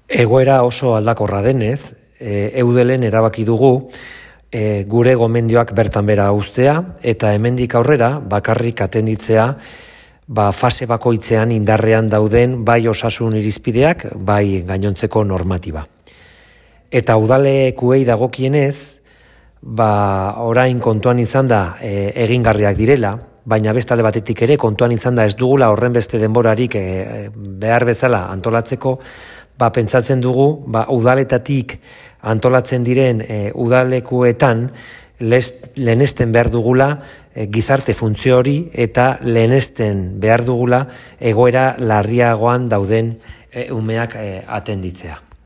Egoera oso aldakorra denez, eudelen erabaki dugu gure gomendioak bertan bera uztea eta hemendik aurrera bakarrik atenditzea fase bakoitzean indarrean dauden bai osasun irizpideak, bai gainontzeko normatiba. Eta udalekuei dagokienez, orain kontuan izan da egingarriak direla, baina beste alde batetik ere kontuan izan da ez dugula horren beste denborarik behar bezala antolatzeko, pentsatzen dugu udaletatik antolatzen diren udalekuetan lehenesten behar dugula gizarte funtzio hori eta lehenesten behar dugula egoera larriagoan dauden umeak atenditzea.